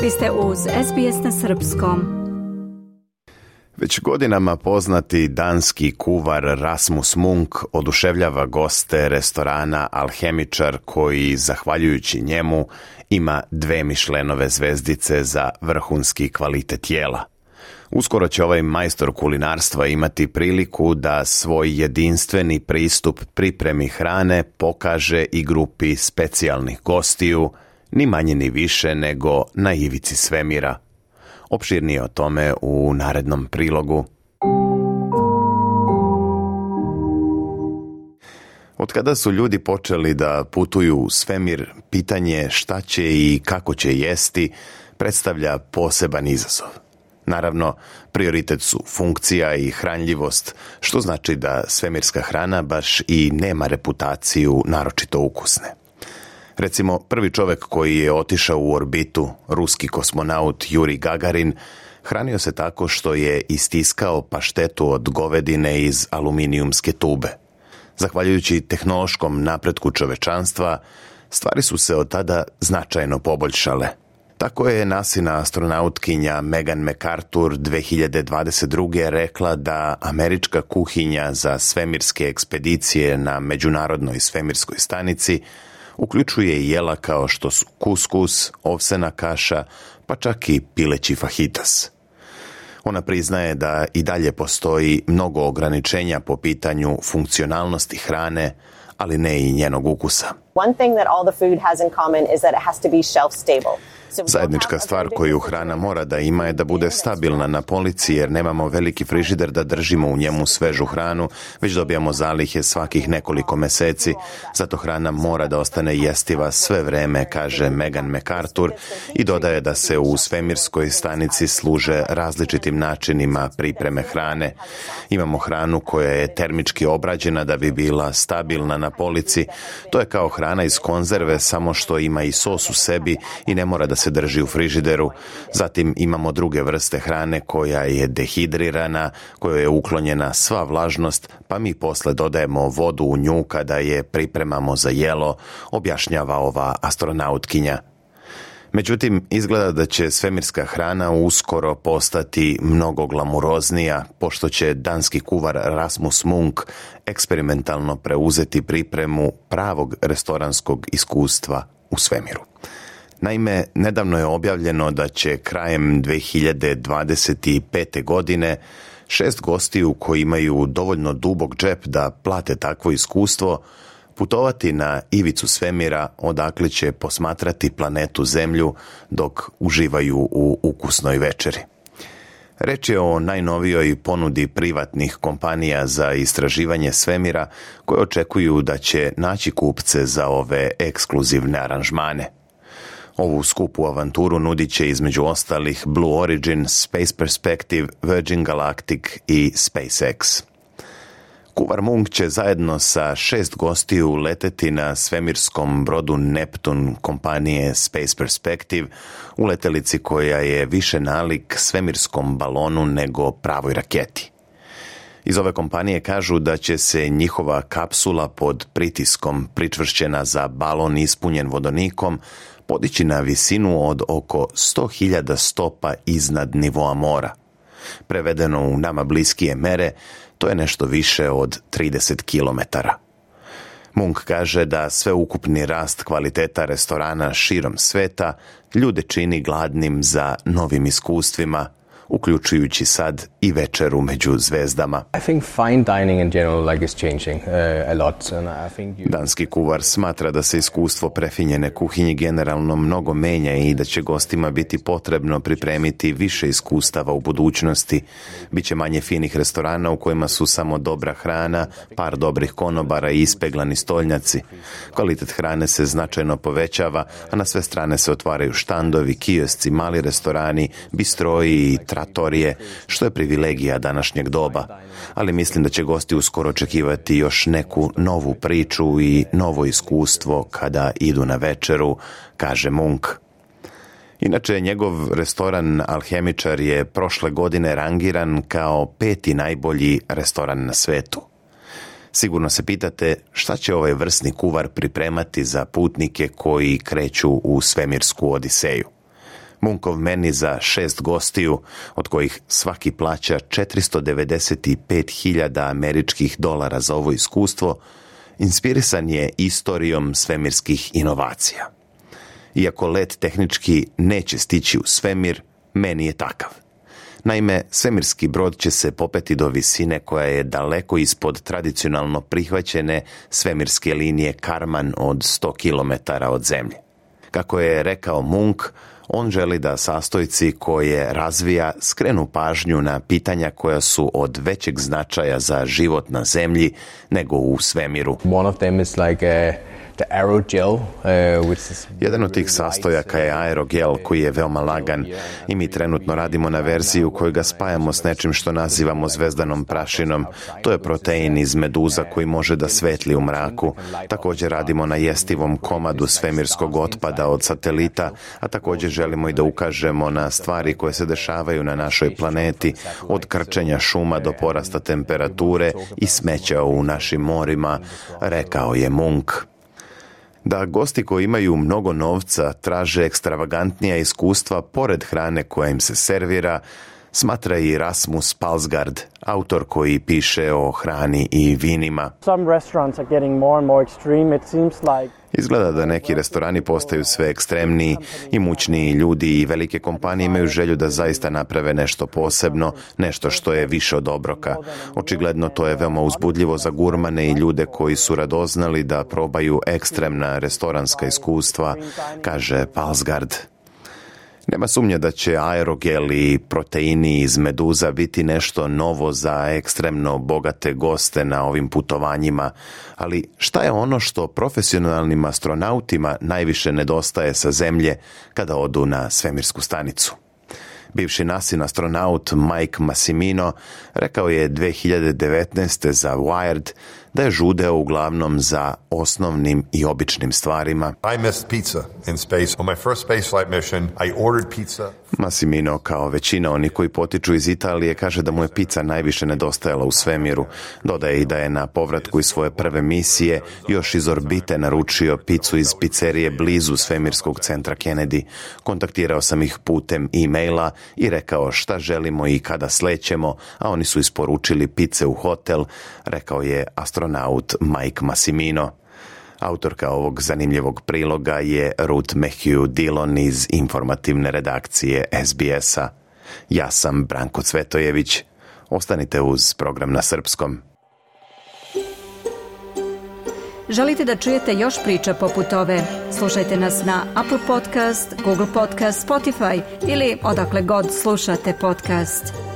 Vi ste uz SBS na srpskom. Već godinama poznati danski kuvar Rasmus Munk oduševljava goste restorana Alhemičar koji, zahvaljujući njemu, ima 2 Michelinove zvezdice za vrhunski kvalitet jela. Uskoro će ovaj majstor kulinarstva imati priliku da svoj jedinstveni pristup pripremi hrane pokaže i grupi specijalnih gostiju, ni manje ni više nego na ivici svemira. Opširnije o tome u narednom prilogu. Od kada su ljudi počeli da putuju u svemir, pitanje šta će i kako će jesti predstavlja poseban izazov. Naravno, prioritet su funkcija i hranljivost, što znači da svemirska hrana baš i nema reputaciju naročito ukusne. Recimo, prvi čovjek koji je otišao u orbitu, ruski kosmonaut Juri Gagarin, hranio se tako što je istiskao paštetu od govedine iz aluminijumske tube. Zahvaljujući tehnološkom napretku čovečanstva, stvari su se od tada značajno poboljšale. Tako je NASIna astronautkinja Megan McArthur 2022. rekla da američka kuhinja za svemirske ekspedicije na Međunarodnoj svemirskoj stanici uključuje jela kao što su kuskus, ovsena kaša, pa čak i pileći fajitas. Ona priznaje da i dalje postoji mnogo ograničenja po pitanju funkcionalnosti hrane, ali ne i njenog ukusa. One thing that all the food has in common is that it has to be shelf stable. Zajednička stvar koju hrana mora da ima je da bude stabilna na polici, jer nemamo veliki frižider da držimo u njemu svežu hranu, već dobijamo zalihe svakih nekoliko meseci. Zato hrana mora da ostane jestiva sve vreme, kaže Megan McArthur, i dodaje da se u svemirskoj stanici služe različitim načinima pripreme hrane. Imamo hranu koja je termički obrađena da bi bila stabilna na polici. To je kao hrana iz konzerve, samo što ima i sos u sebi i ne mora da se drži u frižideru. Zatim imamo druge vrste hrane koja je dehidrirana, kojoj je uklonjena sva vlažnost, pa mi posle dodajemo vodu u nju kada je pripremamo za jelo, objašnjava ova astronautkinja. Međutim, izgleda da će svemirska hrana uskoro postati mnogo glamuroznija, pošto će danski kuvar Rasmus Munk eksperimentalno preuzeti pripremu pravog restoranskog iskustva u svemiru. Naime, nedavno je objavljeno da će krajem 2025. godine 6 gostiju koji imaju dovoljno dubok džep da plate takvo iskustvo putovati na ivicu svemira, odakle će posmatrati planetu Zemlju dok uživaju u ukusnoj večeri. Reč je o najnovijoj ponudi privatnih kompanija za istraživanje svemira koje očekuju da će naći kupce za ove ekskluzivne aranžmane. Ovu skupu avanturu nudit će između ostalih Blue Origin, Space Perspective, Virgin Galactic i SpaceX. Kuvar Munk će zajedno sa 6 gostiju leteti na svemirskom brodu Neptun kompanije Space Perspective u letelici koja je više nalik svemirskom balonu nego pravoj raketi. Iz ove kompanije kažu da će se njihova kapsula pod pritiskom pričvršćena za balon ispunjen vodonikom podići na visinu od oko 100.000 stopa iznad nivoa mora. Prevedeno u nama bliskije mere, to je nešto više od 30 kilometara. Munk kaže da sveukupni rast kvaliteta restorana širom sveta ljude čini gladnim za novim iskustvima, uključujući sad i večeru među zvezdama. Danski kuvar smatra da se iskustvo prefinjene kuhinje generalno mnogo menja i da će gostima biti potrebno pripremiti više iskustava u budućnosti. Biće manje finih restorana u kojima su samo dobra hrana, par dobrih konobara i ispeglani stolnjaci. Kvalitet hrane se značajno povećava, a na sve strane se otvaraju štandovi, kiosci, mali restorani, bistroji i tratorije, što je privilegija današnjeg doba. Ali mislim da će gosti uskoro očekivati još neku novu priču i novo iskustvo kada idu na večeru, kaže Munk. Inače, njegov restoran Alhemičar je prošle godine rangiran kao 5. najbolji restoran na svetu. Sigurno se pitate šta će ovaj vrsni kuvar pripremati za putnike koji kreću u svemirsku odiseju. Munkov meni za 6 gostiju, od kojih svaki plaća $495.000 američkih dolara za ovo iskustvo, inspirisan je istorijom svemirskih inovacija. Iako let tehnički neće stići u svemir, meni je takav. Naime, svemirski brod će se popeti do visine koja je daleko ispod tradicionalno prihvaćene svemirske linije Karman od 100 km od zemlje. Kako je rekao Munk, on želi da sastojci koje razvija skrenu pažnju na pitanja koja su od većeg značaja za život na zemlji nego u svemiru. One of them is like the aerogel, Jedan od tih sastojaka je aerogel koji je veoma lagan i mi trenutno radimo na verziju koju ga spajamo s nečim što nazivamo zvezdanom prašinom. To je protein iz meduza koji može da svetli u mraku. Također radimo na jestivom komadu svemirskog otpada od satelita, a također želimo i da ukažemo na stvari koje se dešavaju na našoj planeti, od krčenja šuma do porasta temperature i smeća u našim morima, rekao je Munk. Da gosti koji imaju mnogo novca traže ekstravagantnija iskustva pored hrane koja im se servira, smatra i Rasmus Palsgaard, autor koji piše o hrani i vinima. Izgleda da neki restorani postaju sve ekstremniji, imućniji ljudi i velike kompanije imaju želju da zaista naprave nešto posebno, nešto što je više od obroka. Očigledno to je veoma uzbudljivo za gurmane i ljude koji su radoznali da probaju ekstremna restoranska iskustva, kaže Palsgaard. Nema sumnje da će aerogel i proteini iz meduza biti nešto novo za ekstremno bogate goste na ovim putovanjima, ali šta je ono što profesionalnim astronautima najviše nedostaje sa Zemlje kada odu na svemirsku stanicu? Bivši NASIN astronaut Mike Massimino rekao je 2019. za Wired da je žudeo uglavnom za osnovnim i običnim stvarima. I missed pizza in space. On my first spaceflight mission, I ordered pizza. Massimino, kao većina onih koji potiču iz Italije, kaže da mu je pizza najviše nedostajala u svemiru. Dodaje i da je na povratku iz svoje prve misije još iz orbite naručio picu iz pizzerije blizu svemirskog centra Kennedy. Kontaktirao sam ih putem e-maila i rekao šta želimo i kada slećemo, a oni su isporučili pice u hotel, rekao je astronaut Mike Massimino. Autorka ovog zanimljivog priloga je Ruth Matthew Dillon iz informativne redakcije SBS-a. Ja sam Branko Cvetojević. Ostanite uz program na srpskom. Želite da čujete još priča poput ove? Slušajte nas na Apple Podcast, Google Podcast, Spotify ili odakle god slušate podcast.